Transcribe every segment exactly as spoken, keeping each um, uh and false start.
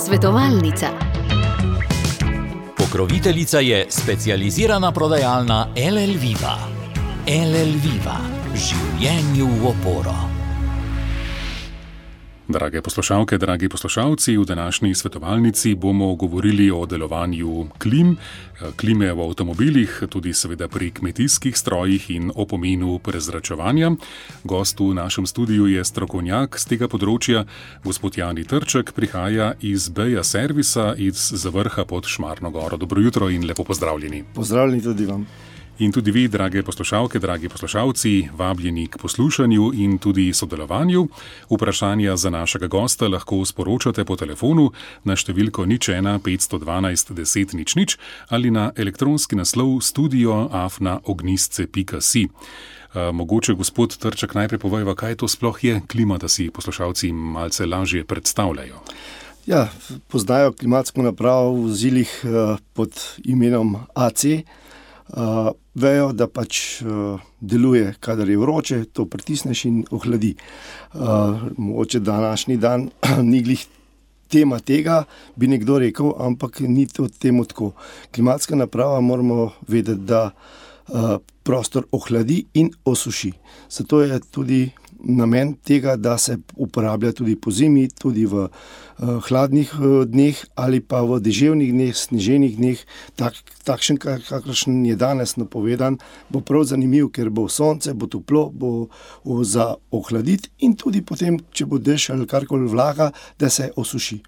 Svetovalnica. Pokroviteljica je specializirana prodajalna L L Viva. L L Viva. Življenju v oporo. Drage poslušalke, dragi poslušalci, v današnji svetovalnici bomo govorili o delovanju klim, klime v avtomobilih, tudi seveda pri kmetijskih strojih in o pomenu prezračevanja. Gost v našem studiu je strokovnjak z tega področja, gospod Jani Trček, prihaja iz Beja servisa iz Zavrha pod Šmarno goro. Dobro jutro in lepo pozdravljeni. Pozdravljeni tudi vam. In tudi vi, drage poslušalke, dragi poslušalci, vabljeni k poslušanju in tudi sodelovanju. Vprašanja za našega gosta lahko sporočate po telefonu na številko nič ena petsto dvanajst deset nič nič ali na elektronski naslov studio afna ognistce pika si. Uh, mogoče, gospod Trček, najprej povejva, kaj to sploh je klima, da si poslušalci malce lažje predstavljajo. Ja, poznajo klimatsko napravo v vozilih uh, pod imenom A C. Uh, vejo, da pač uh, deluje, kadar je vroče, to pritisneš in ohladi. Uh, mogoče današnji dan ni glih tema tega, bi nekdo rekel, ampak ni to temu tako. Klimatska naprava moramo vedeti, da uh, prostor ohladi in osuši. Zato je tudi namen tega, da se uporablja tudi po zimi, tudi v uh, hladnih uh, dneh ali pa v deževnih dneh, sneženih dneh, tak, takšen, kakršen je danes napovedan, bo prav zanimiv, ker bo sonce, bo toplo, bo uh, za ohladiti in tudi potem, če bo dež ali karkoli vlaga, da se osuši.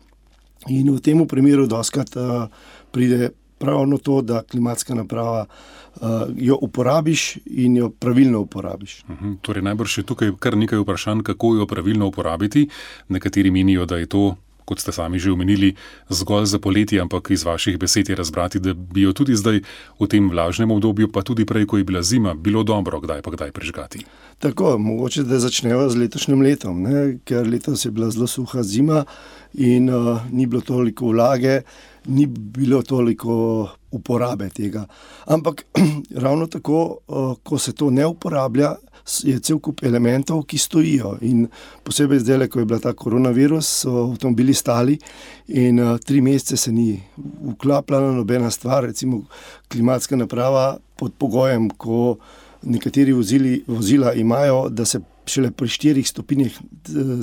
In v tem primeru doskrat uh, pride pravno to, da klimatska naprava uh, jo uporabiš in jo pravilno uporabiš. Uhum, torej najbrž je tukaj kar nekaj vprašanj, kako jo pravilno uporabiti. Nekateri menijo, da je to, kot ste sami že omenili, zgolj za poletje, ampak iz vaših besed je razbrati, da bi jo tudi zdaj v tem vlažnem obdobju, pa tudi prej, ko je bila zima, bilo dobro kdaj pa kdaj prižgati. Tako, mogoče, da začneva z letošnjim letom, ne? Ker letos je bila zelo suha zima in uh, ni bilo toliko vlage, ni bilo toliko uporabe tega. Ampak ravno tako, uh, ko se to ne uporablja, je cel kup elementov, ki stojijo. In posebej zdaj, ko je bila ta koronavirus, so avtomobili stali in uh, tri mesece se ni vklapljala nobena stvar, recimo klimatska naprava pod pogojem, ko nekateri vozili, vozila imajo, da se šele pri štirih stopinjah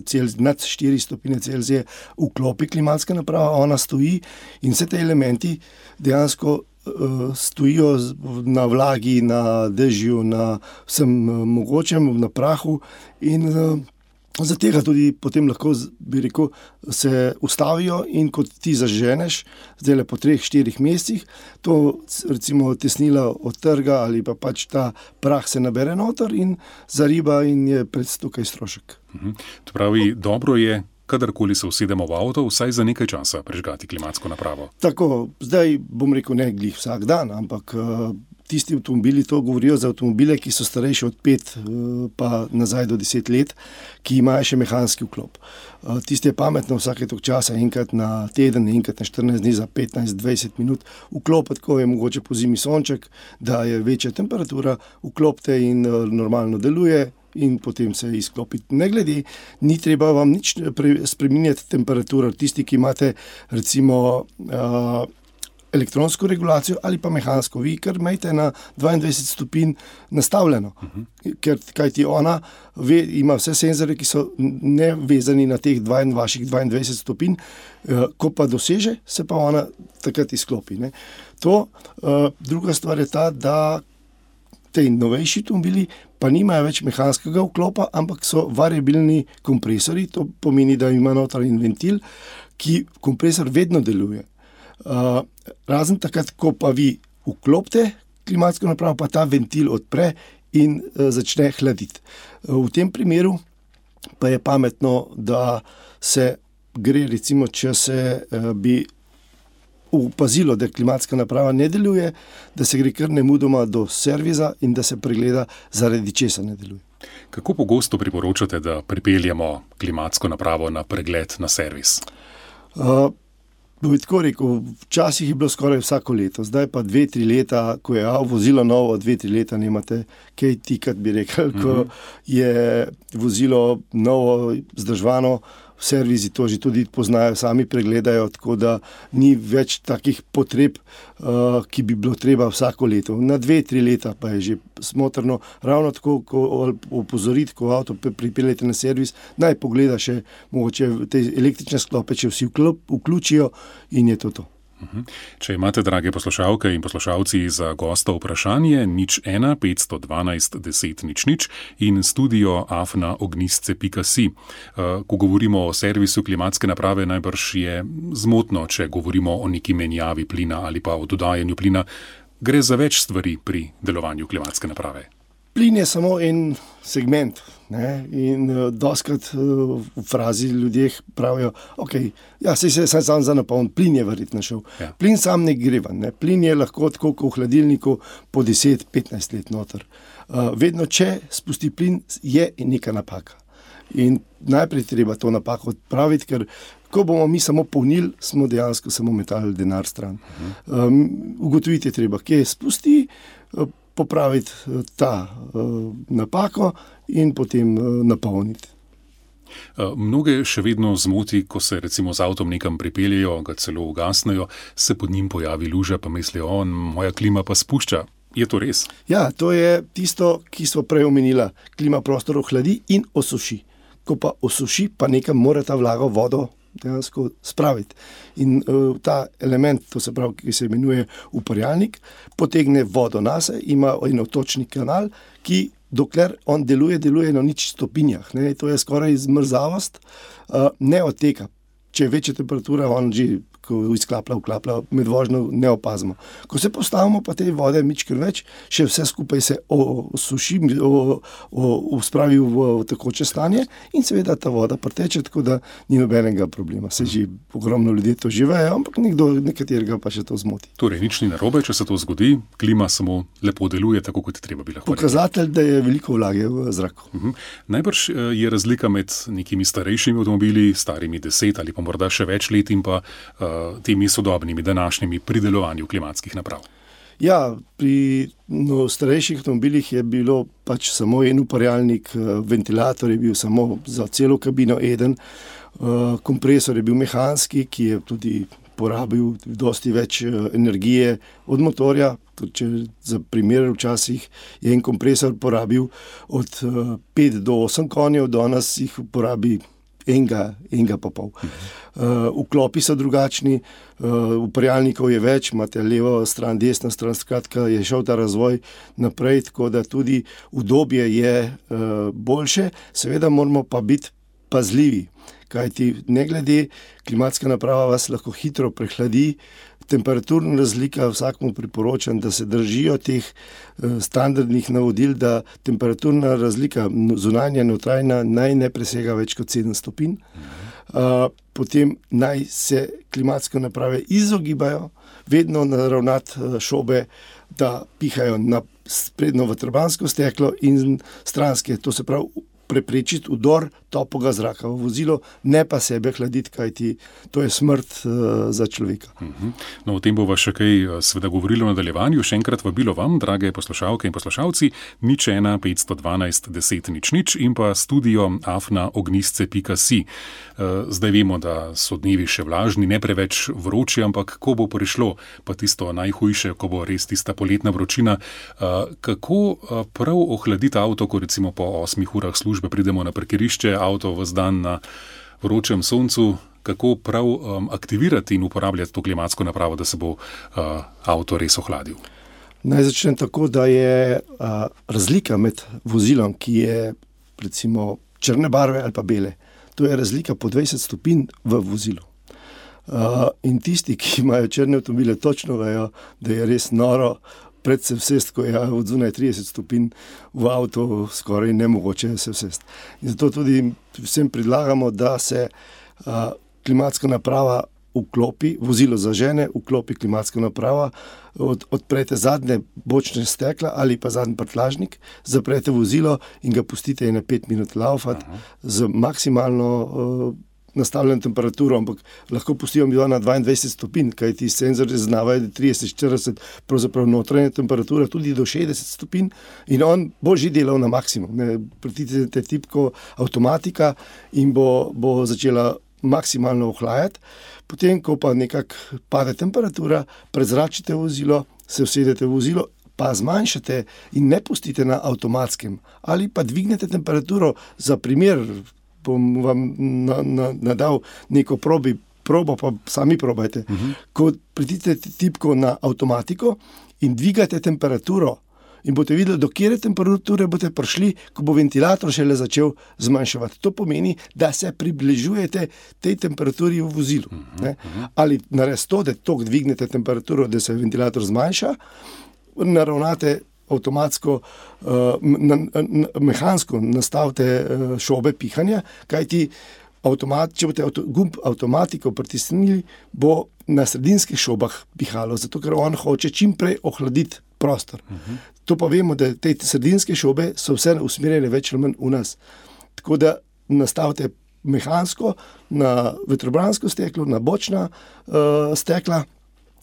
Celzija, nad štirih stopinje Celzije vklopi klimatska naprava, ona stoji in vse te elementi dejansko uh, stojijo na vlagi, na dežju, na vsem uh, mogočem, na prahu in uh, za tega tudi potem lahko, bi rekel, se ustavijo in kot ti zaženeš, zdaj le po treh, štirih mesecih, to recimo tesnila odtrga ali pa pač ta prah se nabere noter in zariba in je pred tukaj strošek. Mhm. To pravi, dobro je, kadarkoli se usedemo v avto, vsaj za nekaj časa prižgati klimatsko napravo. Tako, zdaj bom rekel ne glih vsak dan, ampak uh, tisti avtomobili, to govorijo za avtomobile, ki so starejši od pet pa nazaj do deset let, ki imajo še mehanski vklop. Tisti je pametno vsake tok časa, enkrat na teden, enkrat na štirinajst dni za petnajst do dvajset minut vklopiti, ko je mogoče po zimi sonček, da je večja temperatura, vklopite in normalno deluje in potem se izklopiti. Ne glede, ni treba vam nič spreminjati temperaturo. Tisti, ki imate recimo uh, elektronsko regulacijo ali pa mehansko. Vi kar imejte na dvaindvajset stopinj nastavljeno, uh-huh. ker kajti ona ve, ima vse senzore, ki so nevezani na teh dva, vaših dvaindvajset stopinj, uh, ko pa doseže, se pa ona takrat izklopi. Ne. To, uh, druga stvar je ta, da te novejši avtomobili pa nimajo več mehanskega vklopa, ampak so variabilni kompresori, to pomeni, da ima notranji ventil, ki kompresor vedno deluje. Uh, razen takrat, ko pa vi vklopite klimatsko napravo, pa ta ventil odpre in uh, začne hladiti. Uh, v tem primeru pa je pametno, da se gre, recimo, če se uh, bi upazilo, da klimatska naprava ne deluje, da se gre kar nemudoma do servisa in da se pregleda, zaradi česa ne deluje. Kako pogosto priporočate, da pripeljemo klimatsko napravo na pregled, na servis? Uh, Bo bi tako rekel, včasih je bilo skoraj vsako leto, zdaj pa dve, tri leta, ko je vozilo novo, dve, tri leta nemate kaj tikat, bi rekel, ko je vozilo novo, zdržvano, servisi to že tudi poznajo, sami pregledajo, tako da ni več takih potreb, uh, ki bi bilo treba vsako leto. Na dve, tri leta pa je že smotrno, ravno tako, ko opozoriti, ko avto pripeljete na servis, naj pogleda še mogoče te električne sklope, če vsi vključijo in je to to. Če imate, drage poslušalke in poslušalci, za gosta vprašanje, nič ena petsto dvanajst deset nič nič in studio afna ognistce pika si. Ko govorimo o servisu klimatske naprave, najbrž je zmotno, če govorimo o neki menjavi plina ali pa o dodajanju plina. Gre za več stvari pri delovanju klimatske naprave. Plin je samo en segment, ne? In uh, doskrat uh, v frazi ljudje pravijo, ok, ja, sej se sam, sam za napoln, plin je verjetno šel. Ja. Plin sam ne greva, ne? Plin je lahko tako, kot v hladilniku po deset petnajst let noter. Uh, vedno, če spusti plin, je neka napaka. In najprej treba to napako odpraviti, ker ko bomo mi samo polnili, smo dejansko samo metali denar stran. Uh-huh. Um, ugotoviti je treba, kje spusti, uh, popraviti ta uh, napako in potem uh, napolniti. Mnoge še vedno zmoti, ko se recimo z avtom nekam pripeljejo, ga celo ugasnejo, se pod njim pojavi luža, pa mislijo, on, moja klima pa spušča. Je to res? Ja, to je tisto, ki smo prej omenila. Klima prostor ohladi in osuši. Ko pa osuši, pa nekam mora ta vlaga vodo dejansko spraviti. In uh, ta element, to se pravi, ki se imenuje uparjalnik, potegne vodo nase, ima en otočni kanal, ki dokler on deluje, deluje na nič stopinjah. Ne? To je skoraj zmrzavost, uh, ne odteka. Če je večja temperatura, on že ko izklaplja, vklaplja, med vožnjo ne opazimo. Ko se postavimo pa te vode mičkrat več, še vse skupaj se osuši, spravi v, v tekoče stanje in seveda ta voda preteče, tako da ni nobenega problema. Se že ogromno ljudi to živejo, ampak nekdo, nekaterega pa še to zmoti. Torej, nič ni narobe, če se to zgodi, klima samo lepo deluje, tako kot je treba bi lahko. Pokazatelj, da je veliko vlage v zraku. Uh-huh. Najbrž je razlika med nekimi starejšimi avtomobili, starimi deset ali pa morda še več let in pa uh, temi sodobnimi, današnjimi pri delovanju klimatskih naprav. Ja, pri no, starejših avtomobilih je bilo pač samo en uparjalnik, ventilator je bil samo za celo kabino eden, kompresor je bil mehanski, ki je tudi porabil dosti več energije od motorja. Če za primer včasih je en kompresor porabil od pet do osem konjev, danes jih porabi enega, enega pa pol. Uh, vklopi so drugačni, uh, uparjalnikov je več, imate levo stran, desno stran, skratka je šel ta razvoj naprej, tako da tudi udobje je uh, boljše, seveda moramo pa biti pazljivi, kajti ne glede, klimatska naprava vas lahko hitro prehladi, temperaturna razlika, vsakmu priporočam, da se držijo teh uh, standardnih navodil, da temperaturna razlika zunanja notranja naj ne presega več kot sedem stopinj. Uh, potem naj se klimatske naprave izogibajo, vedno naravnati uh, šobe, da pihajo na sprednjo vetrobransko steklo in stranske, to se pravi preprečiti vdor toplega zraka v vozilo, ne pa sebe hladiti, kajti to je smrt uh, za človeka. Uh-huh. No, o tem bova še kaj seveda govorili v nadaljevanju. Še enkrat vabilo vam, drage poslušalke in poslušalci, nič ena petsto dvanajst deset nič nič in pa studio afna ognistce pika si. Uh, zdaj vemo, da so dnevi še vlažni, ne preveč vroči, ampak ko bo prišlo pa tisto najhujše, ko bo res tista poletna vročina, uh, kako uh, prav ohladiti avto, ko recimo po osmih urah službe pridemo na parkirišče, avto ves dan na vročem soncu, kako prav um, aktivirati in uporabljati to klimatsko napravo, da se bo uh, avto res ohladil? Naj začnem tako, da je uh, razlika med vozilom, ki je recimo črne barve ali pa bele, to je razlika po dvajset stopinj v vozilu. Uh, in tisti, ki imajo črne avtomobile, točno vejo, da je res noro predvsem vsest, ko je od zunaj trideset stopinj v avto skoraj nemogoče se vsest. In zato tudi vsem predlagamo, da se uh, klimatska naprava vklopi, vozilo zažene, vklopi klimatska naprava, od, odprete zadnje bočne stekla ali pa zadnji prtljažnik, zaprete vozilo in ga pustite na pet minut laufati z maksimalno uh, nastavljeno temperaturo, ampak lahko pustijo mi na dvaindvajset stopinj, kaj ti senzorji zaznavajo, da trideset, štirideset, pravzaprav notranja temperatura tudi do šestdeset stopinj in on bo že delal na maksimum. Ne, pritisnete tipko avtomatika in bo, bo začela maksimalno ohlajati. Potem, ko pa nekako pade temperatura, prezračite vozilo, se usedete v vozilo, pa zmanjšate in ne pustite na avtomatskem. Ali pa dvignete temperaturo, za primer, bom vam na, na, nadal neko probi, probo, pa sami probajte. Uh-huh. Ko pritisnete tipko na avtomatiko in dvigate temperaturo in boste videli, do kjere temperature boste prišli, ko bo ventilator šele začel zmanjševati. To pomeni, da se približujete tej temperaturi v vozilu. Uh-huh. Ne? Ali naredite to, da toliko dvignete temperaturo, da se ventilator zmanjša, naravnate avtomatsko, uh, na, na, mehansko nastavite uh, šobe pihanja, kajti avtomat, če boste avto, gumb avtomatiko pritisnili, bo na sredinskih šobah pihalo, zato ker on hoče čim prej ohladiti prostor. Uh-huh. To pa vemo, da te sredinske šobe so vse usmerjene več ali manj v nas. Tako da nastavite mehansko na vetrobransko steklo, na bočna uh, stekla,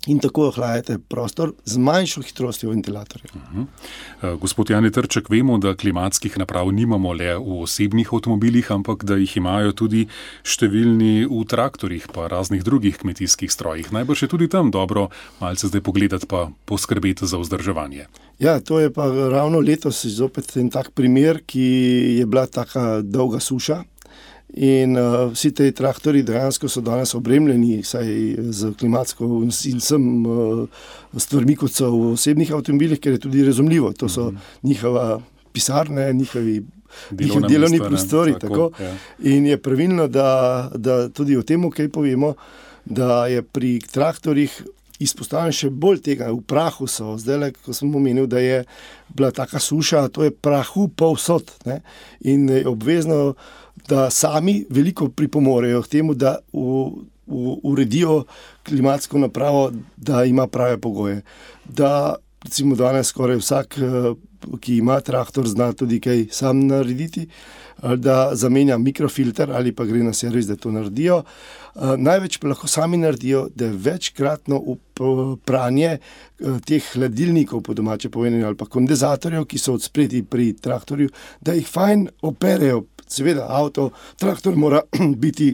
in tako ohlajate prostor z manjšo hitrostjo ventilatorja. Uh-huh. Gospod Jani Trček, vemo, da klimatskih naprav nimamo le v osebnih avtomobilih, ampak da jih imajo tudi številni v traktorjih pa raznih drugih kmetijskih strojih. Najbrž je tudi tam dobro malce zdaj pogledati pa poskrbeti za vzdrževanje. Ja, to je pa ravno letos zopet en tak primer, ki je bila taka dolga suša. In uh, vsi te traktori dejansko so danes opremljeni saj z klimatsko in vsem uh, stvarmi, kot so v osebnih avtomobilih, ker je tudi razumljivo. To so mm-hmm. njihova pisarne, njihovi, njihovi delovni prostori. Tako, tako. Ja. In je pravilno, da, da tudi o tem, kaj povemo, da je pri traktorjih izpostavljen še bolj tega. V prahu so, zdaj, ko sem omenil, da je bila taka suša, to je prahu povsod. Ne? In je obvezno, da sami veliko pripomorejo k temu, da v, v, uredijo klimatsko napravo, da ima prave pogoje. Da recimo danes skoraj vsak, ki ima traktor, zna tudi kaj sam narediti, da zamenja mikrofilter ali pa gre na servis, da to naredijo. Največ pa lahko sami naredijo, da večkratno pranje teh hladilnikov, po domače povedano, ali pa kondenzatorjev, ki so odspredaj pri traktorju, da jih fajn operejo. Seveda, avto, traktor mora biti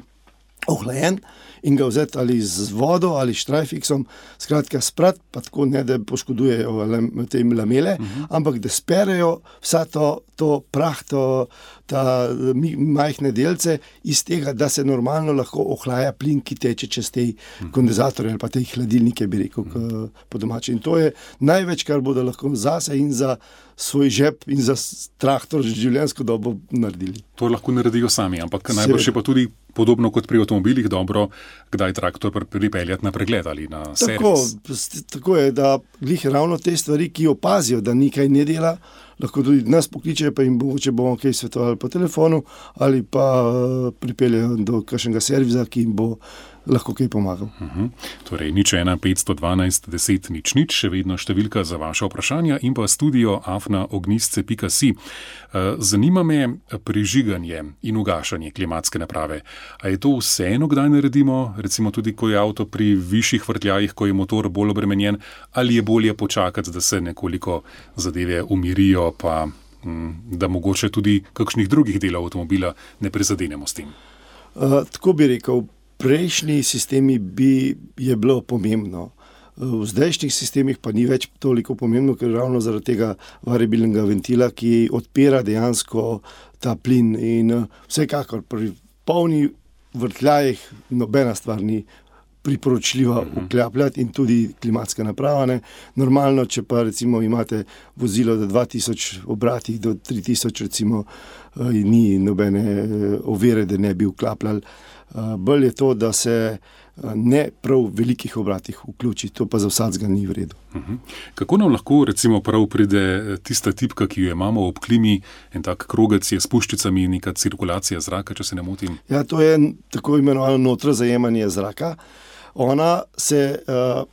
ohlajen in ga vzeti ali z vodo ali štrajfiksom, skratka sprat, pa tako ne, da poškodujejo te lamele, uh-huh. ampak da sperejo vsa to, to prah, to, ta majhne delce iz tega, da se normalno lahko ohlaja plin, ki teče čez te uh-huh. kondenzatorje ali pa te hladilnike, bi rekel, uh-huh. po domače. In to je največ, kar bodo lahko zase in za svoj žep in za traktor življenjsko dobo naredili. To lahko naredijo sami, ampak najbolj še pa tudi podobno kot pri avtomobilih dobro, kdaj traktor pripeljati na pregled ali na servis. Tako, tako je, da glih ravno te stvari, ki opazijo, da nekaj ne dela, lahko tudi nas pokličejo, pa jim mogoče bomo kaj svetovali po telefonu ali pa pripeljejo do kakšnega servisa, ki jim bo lahko kaj pomagal. Uh-huh. Torej, nič ena petsto dvanajst deset nič nič, še vedno številka za vaše vprašanja in pa studio afna ognjisce pika si. Zanima me prižiganje in ugašanje klimatske naprave. A je to vseeno, kdaj naredimo, recimo tudi, ko je avto pri višjih vrtljajih, ko je motor bolj obremenjen, ali je bolje počakati, da se nekoliko zadeve umirijo, pa da mogoče tudi kakšnih drugih delov avtomobila ne prizadenemo s tem? Uh, tako bi rekel, prejšnji sistemi bi je bilo pomembno. V zdajšnjih sistemih pa ni več toliko pomembno, ker ravno zaradi tega variabilnega ventila, ki odpira dejansko ta plin in vsekakor pri polni vrtljajih nobena stvar ni priporočljiva vklapljati in tudi klimatska naprava. Ne. Normalno, če pa recimo imate vozilo do dva tisoč obratih, do tri tisoč recimo, ni nobene ovire, da ne bi vklapljali. Bolj je to, da se ne prav v velikih obratih vključi, to pa za vsakega ni v redu. Uh-huh. Kako nam lahko recimo prav pride tista tipka, ki jo imamo ob klimi, en tak krogec je s puščicami, neka cirkulacija zraka, če se ne motim? Ja, to je tako imenovano notrozajemanje zraka. Ona se uh,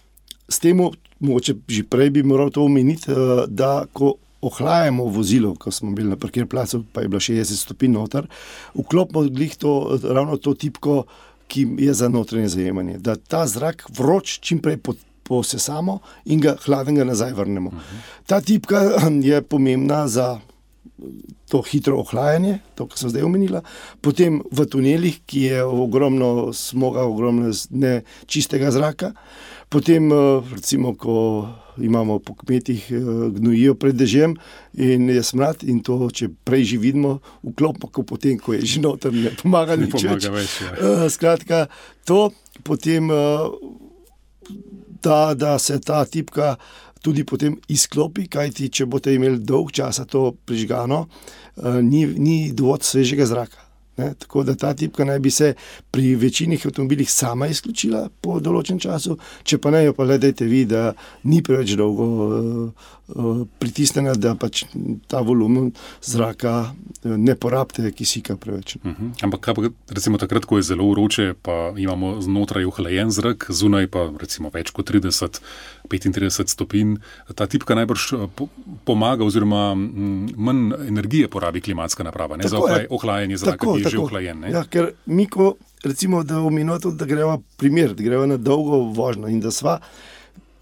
s tem, mogoče že prej bi moral to omeniti, uh, da ko ohlajamo vozilo, ko smo bili na parkirplacu, pa je bilo šestdeset stopinj noter, vklopimo glih to, ravno to tipko, ki je za notranje zajemanje, da ta zrak vroč čim prej posesamo in ga hladnega nazaj vrnemo. Uh-huh. Ta tipka je pomembna za to hitro ohlajanje, to, kar sem zdaj omenila, potem v tunelih, ki je ogromno smoga, ogromno nečistega zraka, potem recimo, ko imamo po kmetih gnojijo pred dežjem in je smrad in to, če prej že vidimo, vklopimo, ko potem, ko je že noter, ne pomaga ne nič pomaga več. več ja. Skratka, to potem, da, da se ta tipka tudi potem izklopi, kajti če boste imeli dolg časa to prižgano, ni, ni dovolj svežega zraka. Ne? Tako da ta tipka naj bi se pri večini avtomobilih sama izključila po določen času, če pa ne, jo pa le dajte vi, da ni preveč dolgo uh, uh, pritisnjena, da pač ta volumen zraka ne porabite kisika preveč. Uh-huh. Ampak kaj pa recimo takrat, ko je zelo vroče, pa imamo znotraj ohlajen zrak, zunaj pa recimo več kot trideset, petintrideset stopinj, ta tipka najbrž po, pomaga oziroma m, manj energije porabi klimatska naprava, ne, za ohlaj, ohlajanje zraka, tako, ki je tako že ohlajen. Ne? Ja, ker mi, ko recimo, da omenimo to, da greva primer, da greva na dolgo vožnjo in da sva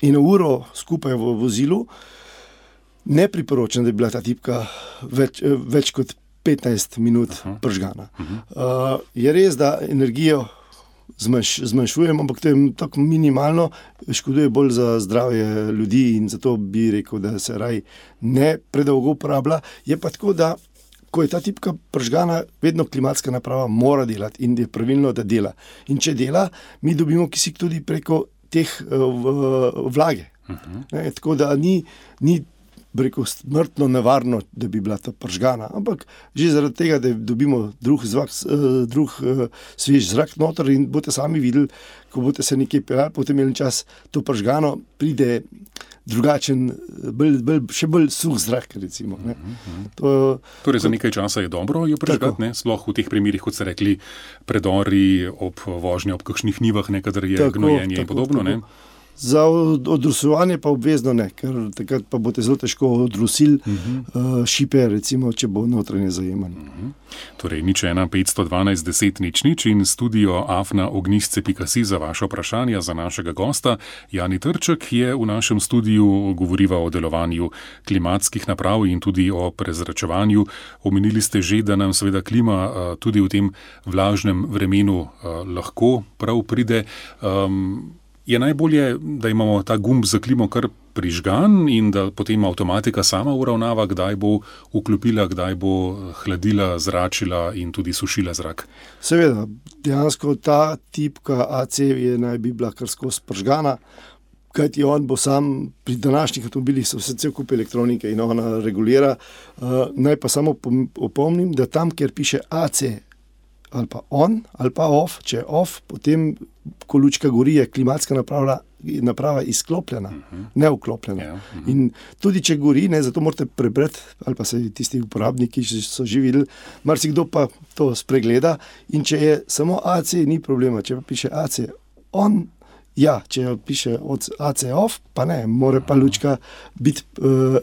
eno uro skupaj v vozilu, ne priporočam, da bi bila ta tipka več, več kot petnajst minut uh-huh. pržgana. Uh-huh. Uh, je res, da energijo zmanjš, zmanjšujemo, ampak to je tako minimalno, škoduje bolj za zdravje ljudi in zato bi rekel, da se raj ne predolgo uporablja. Je pa tako, da ko je ta tipka pržgana, vedno klimatska naprava mora delati in je pravilno, da dela. In če dela, mi dobimo kisik tudi preko teh uh, vlage. Uh-huh. Ne, tako da ni, ni rekel, smrtno nevarno, da bi bila ta pržgana, ampak že zaradi tega, da dobimo drug, zvak, drug svež zrak noter in boste sami videli, ko boste se nekaj peljali, potem imeli čas to pržgano, pride drugačen, bolj, bolj, še bolj suh zrak, recimo. Ne. To, torej za nekaj časa je dobro jo prižgati, ne? Sploh v teh primerih, kot ste rekli, predori ob vožnji, ob kakšnih njivah, ne, kadar je tako, gnojenje tako, in podobno, tako. Ne? Za odrusovanje pa obvezno ne, ker takrat pa boste zelo težko odrusili uh-huh. šipe, recimo, če bo notranje zajemanje. Uh-huh. Torej, nič ena petsto dvanajst deset nič nič in studio afna ognjišce pika si za vaše vprašanja za našega gosta. Jani Trček je v našem studiu govoriva o delovanju klimatskih naprav in tudi o prezračevanju. Omenili ste že, da nam seveda klima tudi v tem vlažnem vremenu lahko prav pride. Um, Je najbolje, da imamo ta gumb za klimo kar prižgan in da potem avtomatika sama uravnava, kdaj bo vklopila, kdaj bo hladila, zračila in tudi sušila zrak? Seveda, dejansko ta tipka A C je naj bi bila kar skozi pržgana, kajti on bo sam, pri današnjih avtomobilih so vse cel kup elektronike in ona regulira. Uh, naj pa samo opomnim, da tam, kjer piše A C, ali pa on, ali pa off, če je off, potem, ko lučka gori, je klimatska naprava, naprava izklopljena, uh-huh. ne vklopljena. Yeah, uh-huh. In tudi, če gori, ne, zato morate prebrati, ali pa se tisti uporabniki, ki so že videli, marsikdo pa to spregleda in če je samo A C, ni problema, če pa piše A C on, ja, če piše A C off, pa ne, mora pa lučka biti uh,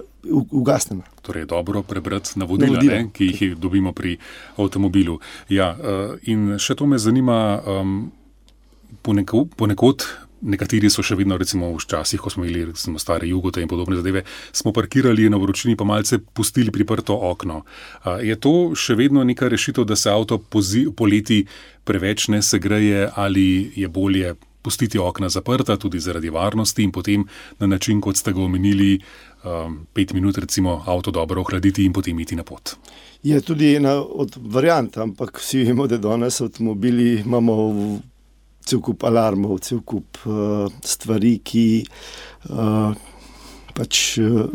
ugasnjena. Torej, dobro prebrati navodila, navodila. Ne, ki jih dobimo pri avtomobilu. Ja, uh, in še to me zanima, um, poneko, ponekod, nekateri so še vedno, recimo včasih, ko smo imeli recimo stare jugote in podobne zadeve, smo parkirali na vročini pa malce pustili priprto okno. Uh, je to še vedno neka rešitev, da se avto pozi, poleti preveč ne segreje ali je bolje pustiti okna zaprta tudi zaradi varnosti in potem na način, kot ste ga omenili, um, pet minut recimo avto dobro ohladiti in potem iti na pot? Je tudi ena od variant, ampak vsi vemo, da danes avtomobili imamo cel kup alarmov, cel kup uh, stvari, ki uh, pač uh,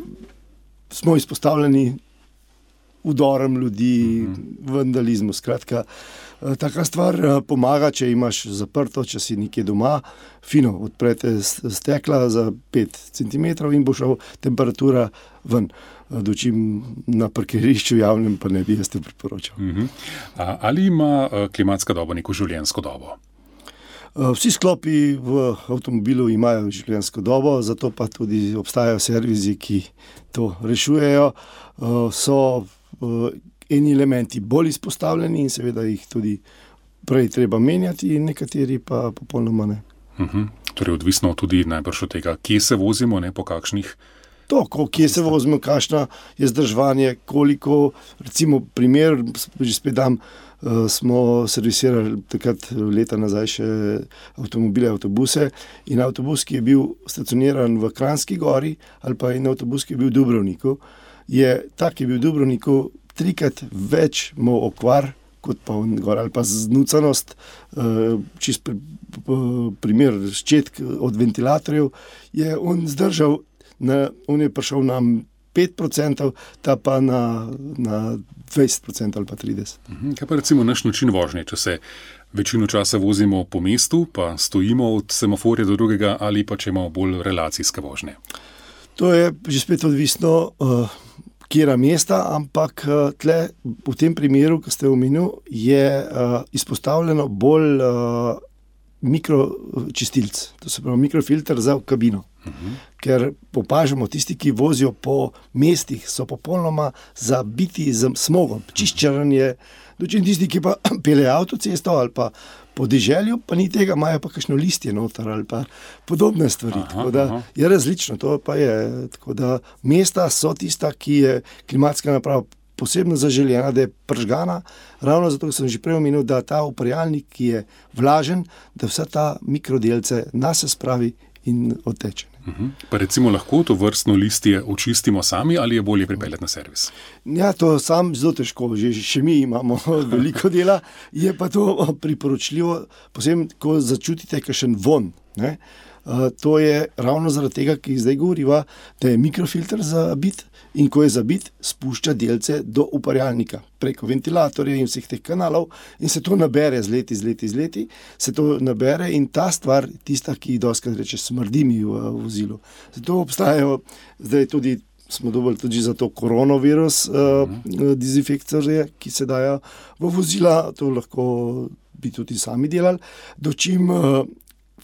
smo izpostavljeni udorom ljudi, mm-hmm. vandalizmu, skratka. Taka stvar pomaga, če imaš zaprto, če si nekje doma, fino, odprete stekla za pet centimetrov in bo šel temperatura ven. Dočim na parkirišču javnem pa ne bi jaz te priporočal. Uh-huh. A, ali ima klimatska doba neko življenjsko dobo? Vsi sklopi v avtomobilu imajo življenjsko dobo, zato pa tudi obstajajo servisi, ki to rešujejo. So eni elementi bolj izpostavljeni in seveda jih tudi prej treba menjati, in nekateri pa popolnoma ne. Uh-huh. Torej odvisno tudi najbrž od tega, kje se vozimo, ne, po kakšnih. To, kje se vozimo, kakšno je zdržovanje, koliko, recimo primer, že spet dam, smo servisirali takrat leta nazaj še avtomobile, avtobuse, in avtobus, ki je bil stacioniran v Kranjski Gori, ali pa in avtobus, ki je bil v Dubrovniku, je tak, ki je bil v Dubrovniku, trikrat več imel okvar, kot pa on gor, ali pa znucanost, čist primer ščetk od ventilatorjev, je on zdržal, na, on je prišel nam pet procentov, ta pa na, na dvajset procentov ali pa trideset procentov. Kaj pa recimo naš način vožnje, če se večino časa vozimo po mestu, pa stojimo od semaforja do drugega, ali pa če imamo bolj relacijske vožnje? To je že spet odvisno, uh, kjera mesta, ampak uh, tle v tem primeru, ki ste omenil, je uh, izpostavljeno bolj uh, mikročistilc, to se pravi mikrofilter za kabino. Uh-huh. Ker opažamo, tisti, ki vozijo po mestih, so popolnoma zabiti z smogom, čiščaranje, dočin tisti, ki pa peljejo avtocesto ali pa po deželju, pa ni tega, imajo pa kakšno listje noter ali pa podobne stvari. Aha, tako da aha. Je različno, to pa je. Tako da mesta so tista, ki je klimatska naprava posebno zaželjena, da je pržgana, ravno zato, ker sem že prej omenil, da ta uparjalnik, ki je vlažen, da vsa ta mikrodelce nase spravi in odteče. Uh-huh. Pa recimo lahko to vrstno listje očistimo sami ali je bolje pripeljati na servis? Ja, to sam zelo težko, že, še mi imamo veliko dela, je pa to priporočljivo, posebno, ko začutite kakšen von, ne? Uh, to je ravno zaradi tega, ki zdaj govoriva, da je mikrofilter zabit in ko je zabit, spušča delce do uparjalnika preko ventilatorja in vseh teh kanalov in se to nabere z leti, z leti, z leti, se to nabere in ta stvar, tista, ki dostikrat reče, smrdi mi v vozilu. Zato obstajajo, zdaj tudi smo dobili tudi za to koronavirus uh, uh, dezinfektorje, ki se dajo v vozila, to lahko bi tudi sami delali, dočim uh,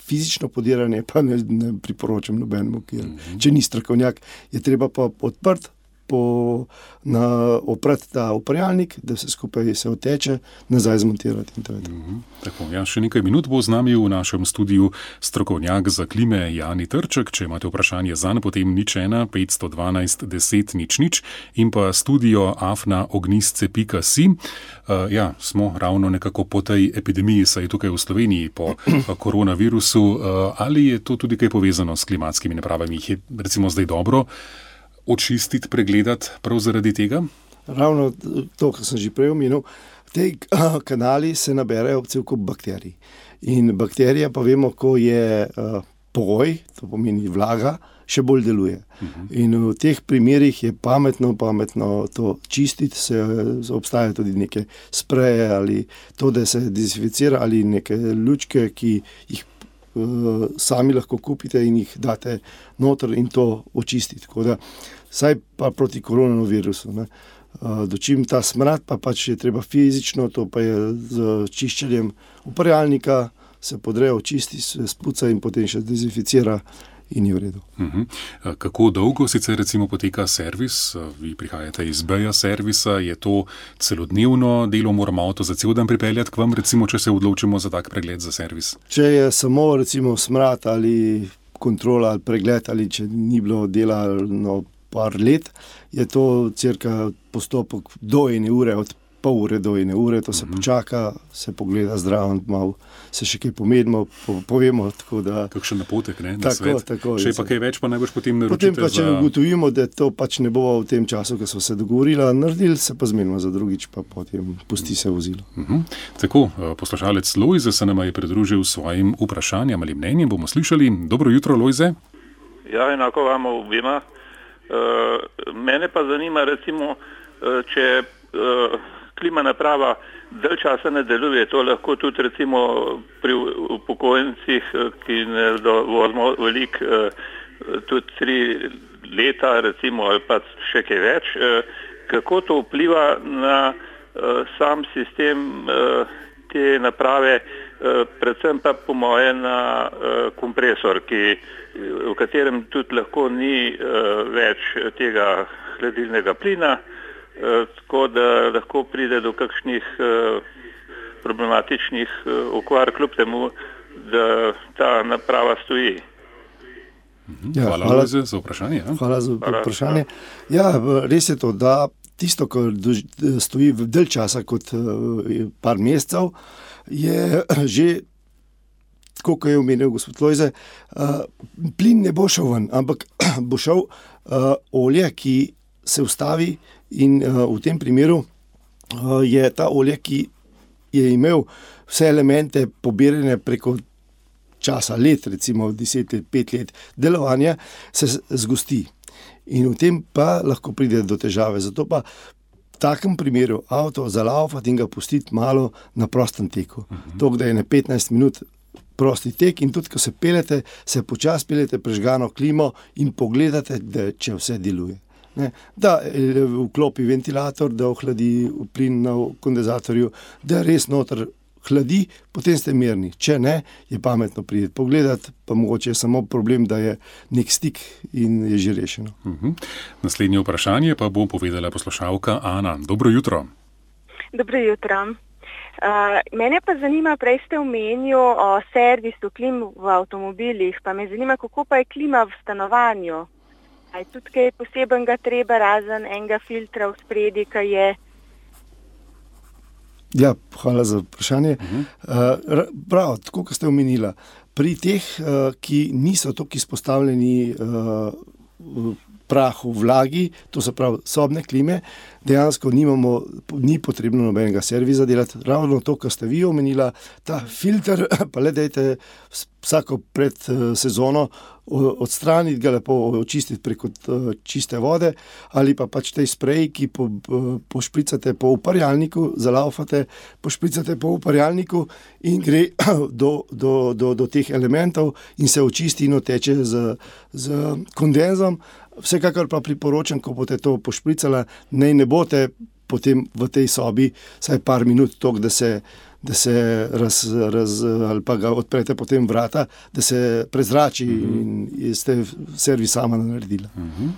fizično podiranje pa ne, ne priporočam nobenemu, ker mm-hmm. če ni strokovnjak, je treba pa odprt, po, na, oprati ta uparjalnik, da se skupaj se oteče, nazaj zmontirati in tako. Mm-hmm. Tako, ja, še nekaj minut bo z nami v našem studiu strokovnjak za klime Jani Trček. Če imate vprašanje zanj, potem nič ena petsto dvanajst deset nič nič in pa studio afna ognistce pika si. Uh, ja, smo ravno nekako po tej epidemiji, saj tukaj v Sloveniji po koronavirusu. Uh, ali je to tudi kaj povezano s klimatskimi napravami? Jih je recimo zdaj dobro očistiti, pregledati prav zaradi tega? Ravno to, kar sem že prej omenil, te kanali se naberajo cel kup bakterij. In bakterija pa vemo, ko je uh, pogoj, to pomeni vlaga, še bolj deluje. Uh-huh. In v teh primerih je pametno, pametno to čistiti, se, obstajajo tudi neke spreje ali to, da se dezinficira ali neke lučke, ki jih uh, sami lahko kupite in jih date noter in to očistiti. Tako da, saj pa proti koronavirusu, ne. Uh, dočim ta smrad, pa pač je treba fizično, to pa je z čiščenjem uparjalnika, se podre, očisti, se spuca in potem še dezinficira in je v redu. Uh-huh. Kako dolgo sicer recimo poteka servis? Vi prihajate iz B-ja servisa, je to celodnevno delo, moramo avto za cel dan pripeljati k vam, recimo, če se odločimo za tak pregled za servis? Če je samo recimo smrad ali kontrola ali pregled ali če ni bilo dela no, par let, je to cirka postopek do ene ure, od pol ure do ene ure, to se uh-huh. počaka, se pogleda zdravo, malo se še kaj pomedimo, po, povemo, tako da... Kakšen napotek, ne, na tako, svet. Tako, še pa kaj več, pa najbolj potem naročite potem pa, če za... ugotovimo, da to pač ne bo v tem času, ko smo se dogovorili, naredili, se pa zmenimo za drugič, pa potem pusti se vozilo. Uh-huh. Tako, poslušalec Lojze se nama je pridružil svojim vprašanjem ali mnenjem, bomo slišali. Dobro jutro, Lojze. Ja, enako vam obima. Uh, mene pa zanima, recimo, uh, če uh, klima naprava dalj časa ne deluje, to lahko tudi recimo pri upokojencih, ki ne vozimo veliko, uh, tudi tri leta recimo ali pa še kaj več, uh, kako to vpliva na uh, sam sistem uh, te naprave, predvsem pa po moje na kompresor, ki, v katerem tudi lahko ni več tega hladilnega plina, tako da lahko pride do kakšnih problematičnih okvar, kljub temu, da ta naprava stoji. Ja, hvala, hvala za vprašanje. Ja. Hvala za vprašanje. Ja, res je to, da tisto, kar stoji v dalj časa kot par mesecev, je že, tako kot je omenil gospod Lojze, plin ne bo šel ven, ampak bo šel olje, ki se ustavi in v tem primeru je ta olje, ki je imel vse elemente pobirane preko časa, let, recimo deset let, pet let delovanja, se zgosti. In v tem pa lahko pride do težave. Zato pa v takem primeru avto zalaufati in ga pustiti malo na prostem teku. Uh-huh. To, da je na petnajst minut prosti tek in tudi, ko se peljete, se počas peljete prežgano klimo in pogledate, da če vse deluje. Ne? Da vklopi ventilator, da ohladi plin na kondenzatorju, da res noter hladi, potem ste mirni. Če ne, je pametno priti pogledati, pa mogoče je samo problem, da je nek stik in je že rešeno. Uh-huh. Naslednje vprašanje pa bo povedala poslušalka Ana. Dobro jutro. Dobro jutro. Uh, mene pa zanima, prej ste omenil o servisu klim v avtomobilih, pa me zanima, kako pa je klima v stanovanju. A je tudi kaj posebenega treba, razen enega filtra v spredi, ki je. Ja, hvala za vprašanje. Uh-huh. Prav, tako kot ste omenila, pri teh, uh, ki niso toliko izpostavljeni uh, prahu, vlagi, to se pravi sobne klime, dejansko nimamo, ni potrebno nobenega servisa delati. Ravno to, kar ste vi omenila, ta filter, pa le dajte vsako pred uh, sezono odstraniti ga, lepo očistiti preko čiste vode, ali pa pač tej sprej, ki po, pošpricate po uparjalniku, zalaufate, pošpricate po uparjalniku in gre do, do, do, do teh elementov in se očisti in oteče z, z kondenzom. Vsekakor pa priporočam, ko boste to pošpricala, naj ne boste potem v tej sobi vsaj par minut tok, da se da se raz, raz, ali pa ga odprete potem vrata, da se prezrači mm-hmm. in ste servis sama naredila. Mm-hmm.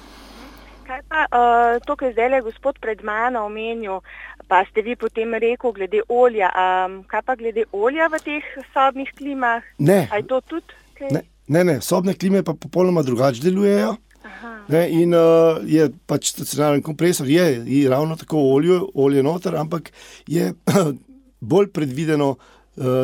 Kaj pa uh, to, kar zdaj je gospod pred mano omenil, pa ste vi potem rekel glede olja, um, kaj pa glede olja v teh sobnih klimah? Ne. A je to tudi? Kaj? Ne, ne, ne, sobne klime pa popolnoma drugače delujejo. Ne, in uh, je pač stacionaren kompresor, je, je ravno tako olje, olje noter, ampak je bolj predvideno,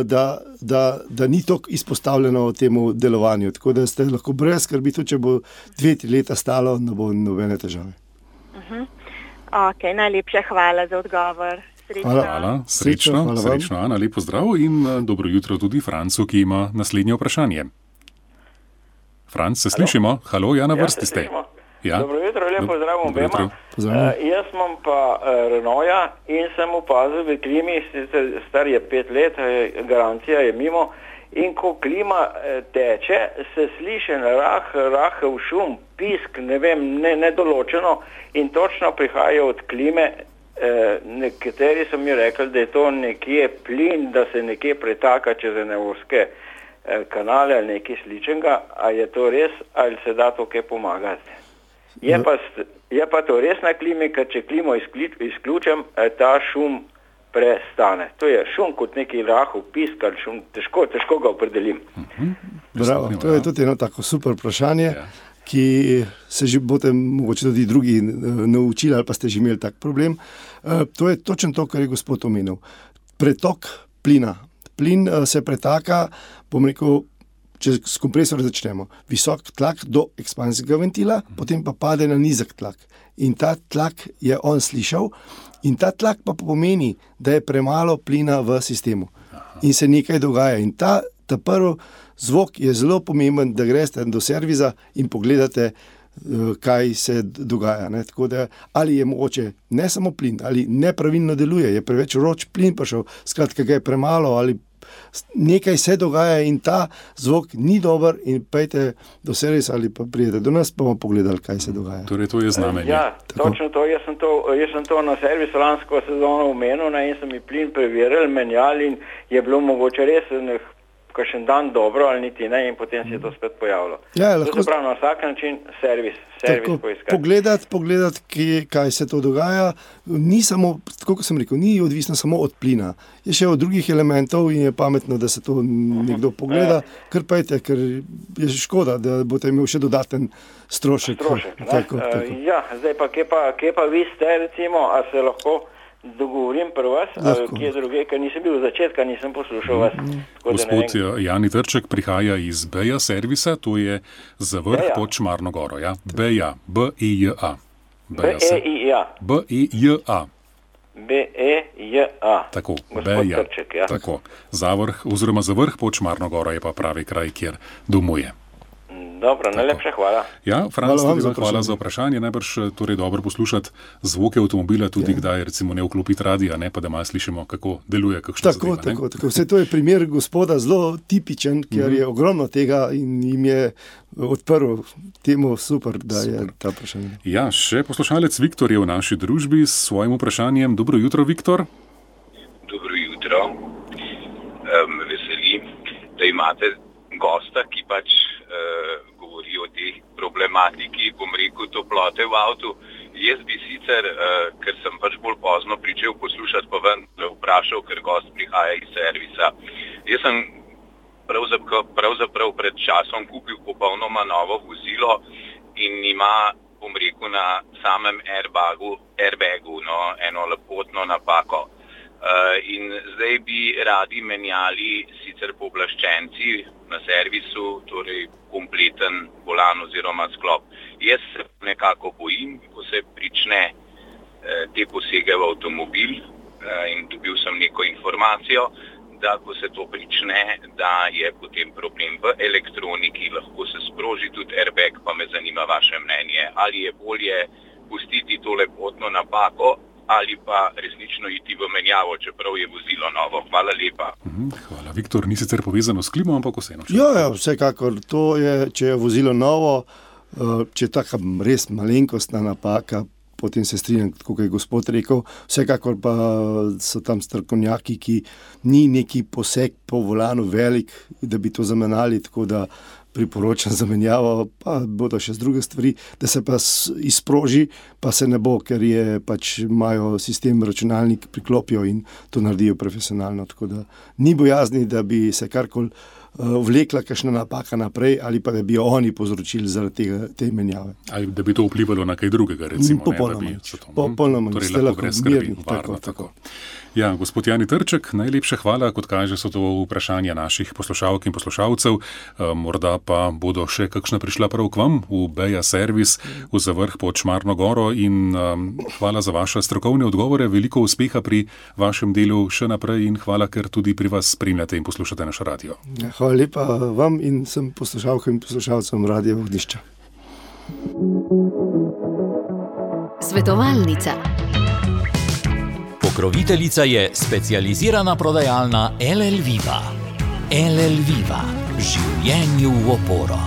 da, da, da ni toliko izpostavljeno temu delovanju. Tako da ste lahko brez skrbi, tudi če bo dve, tri leta stalo, ne bo nobene težave. Uh-huh. Ok, najlepša hvala za odgovor. Srečno. Hvala, hvala. Srečno, hvala srečno, Ana, lepo zdrav in dobro jutro tudi Francu, ki ima naslednje vprašanje. Franc, se Halo? Slišimo? Halo, ja, na vrsti ste. Ja. Dobro jutro, lepo zdrav obema. Uh, jaz imam pa uh, Renaulta in sem opazil v klimi, star je pet let, garancija je mimo, in ko klima uh, teče, se sliši rah, rahel šum, pisk, ne vem, ne, nedoločeno in točno prihaja od klime. Uh, nekateri so mi rekli, da je to nekje plin, da se nekje pretaka čez nevorske uh, kanale ali nekaj sličenega, a je to res, ali se da to kaj pomagati? Je pa, je pa to res na klimi, ker če klimo izključim, ta šum prestane. To je šum kot neki rahel pisk, ali šum, težko, težko ga opredelim. Uh-huh. Bravo, to je tudi eno tako super vprašanje, ja. Ki se že boste mogoče tudi drugi naučili, ali pa ste že imeli tak problem. Uh, to je točno to, kar je gospod omenil. Pretok plina. Plin uh, se pretaka, bom rekel, če s kompresorjem začnemo, visok tlak do ekspanzijskega ventila, mm. potem pa pade na nizek tlak. In ta tlak je on slišal in ta tlak pa pomeni, da je premalo plina v sistemu. Aha. In se nekaj dogaja. In ta, ta prvi zvok je zelo pomemben, da greste do servisa in pogledate, kaj se dogaja. Ne? Tako da, ali je mogoče ne samo plin, ali nepravilno deluje, je preveč vroč plin prišel, skratka ga je premalo, ali nekaj se dogaja in ta zvok ni dober in pejte do servisa ali pa prijete do nas, pa bomo pogledali, kaj se dogaja. Torej, to je znamenje. Ja, tako. Točno to. Jaz sem to, jaz sem to na servisu lansko sezono omenil in sem mi plin preveril, menjali in je bilo mogoče res kakšen dan dobro ali niti ne in potem se je to spet pojavilo. Ja, lahko... To se pravi na vsak način servis, servis poiskati. Pogledati, pogledati kaj, kaj se to dogaja, ni samo, tako kot sem rekel, ni odvisno samo od plina. Je še od drugih elementov in je pametno, da se to nekdo pogleda, ja. Ker pejte, ker je škoda, da boste imeli še dodaten strošek. Strošek, tako, uh, tako. Ja, zdaj pa, kje pa, kje pa vi ste, recimo, a se lahko dogovorim pri vas, ali kje druge, ker nisem bil v začetka, nisem poslušal vas. Mm. Gospod Jani Trček prihaja iz Beja servisa, to je za vrh Beja. Pod Šmarno goro. Ja? Beja, B E J A. B E I A. B E J A. B E J A. Tako, Gospod Beja. Trček, ja. Tako, za vrh, oziroma za vrh pod Šmarno goro je pa pravi kraj, kjer domuje. Dobro, najlepša hvala. Ja, Franc, hvala, tudi za, hvala za vprašanje. Najbrž torej dobro poslušati zvoke avtomobila, tudi ja. Kdaj recimo ne vklopiti radija, ne, pa da malo slišimo, kako deluje kakšna tako, zadeva. Tako, tako. Vse to je primer gospoda zelo tipičen, ker mm-hmm. je ogromno tega in jim je odprl temu super, da super. Je ta vprašanje. Ja, še poslušalec Viktor je v naši družbi s svojim vprašanjem. Dobro jutro, Viktor. Dobro jutro. Um, veselim, da imate gosta, ki pač uh, govori o tej problematiki, bom rekel, toplote v avtu. Jaz bi sicer, uh, ker sem pač bolj pozno pričel poslušati, pa ven vprašal, ker gost prihaja iz servisa. Jaz sem pravzaprav, pravzaprav pred časom kupil popolnoma novo vozilo in ima, bom rekel, na samem airbagu, airbagu no, eno lepotno napako. Uh, in zdaj bi radi menjali sicer pooblaščenci na servisu, torej kompleten volan oziroma sklop. Jaz se nekako bojim, ko se prične uh, te posege v avtomobil uh, in dobil sem neko informacijo, da ko se to prične, da je potem problem v elektroniki, lahko se sproži tudi airbag, pa me zanima vaše mnenje. Ali je bolje pustiti to lepotno napako, ali pa resnično iti v menjavo, čeprav je vozilo novo. Hvala lepa. Hvala, Viktor. Ni sicer povezano s klimo, ampak vseeno. Ja, ja, vsekakor. To je, če je vozilo novo, če je taka res malenkostna napaka, potem se strinjam, kot je gospod rekel, vsekakor pa so tam strokovnjaki, ki ni neki poseg po volanu velik, da bi to zamenjali, tako da priporočam zamenjavo, pa bodo še z druge stvari, da se pa izproži, pa se ne bo, ker je pač imajo sistem računalnik, priklopijo in to naredijo profesionalno, tako da ni bojazni, da bi se karkoli uh, vlekla kakšna napaka naprej ali pa da bi jo oni povzročili zaradi tega, te menjave. Ali da bi to vplivalo na kaj drugega, recimo. Popolnoma nič. Popolnoma nič. Torej lahko gre mirni. Tako, tako. Ja, gospod Jani Trček, najlepša hvala, kot kaže, so to vprašanja naših poslušalk in poslušalcev. E, morda pa bodo še kakšna prišla prav k vam v Beja servis v Zavrh pod Šmarno goro in um, hvala za vaše strokovne odgovore, veliko uspeha pri vašem delu še naprej in hvala, ker tudi pri vas spremljate in poslušate naš radio. Ja, hvala lepa vam in sem poslušalkam in poslušalcem Radia Ognjišča. Svetovalnica. Pokroviteljica je specializirana prodajalna L L Viva. L L Viva. Življenju v oporo.